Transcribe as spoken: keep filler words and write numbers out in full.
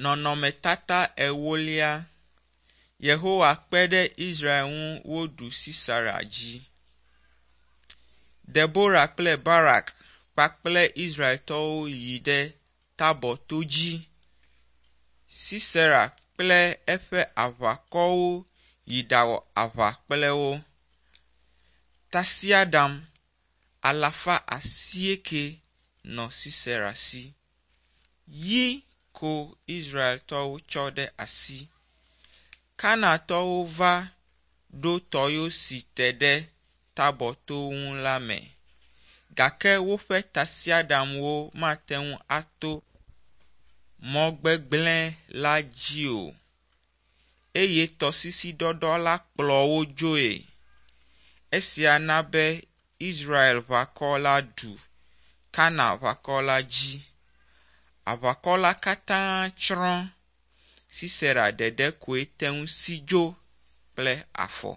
Nɔnɔmetata ewolia. Yehowa kpe ɖe Israel ŋu woɖu Sisera dzi. Debora kple Barak kpakple Israeltɔwo yi ɖe Tabɔr to dzi. Sisera kple eƒe aʋakɔwo yi ɖawɔ aʋa kple wo. Tasiaɖam alafa asieke nɔ Sisera si. Yi ko Israeltɔwo tsɔ ɖe asi. Kanaantɔwo va ɖo tɔyo si te ɖe Tabɔr to ŋu la me. Gake woƒe tasiaɖamwo mate ŋu ato mɔ gbegblẽ la dzi o eye tɔsisi ɖɔɖɔ la kplɔ wo dzoe. Esia na be Israel ʋakɔ la ɖu Kanaan ʋakɔ la dzi. Aʋakɔ la katã tsrɔ̃. Sisera ɖeɖe koe te ŋu si dzo kple afɔ.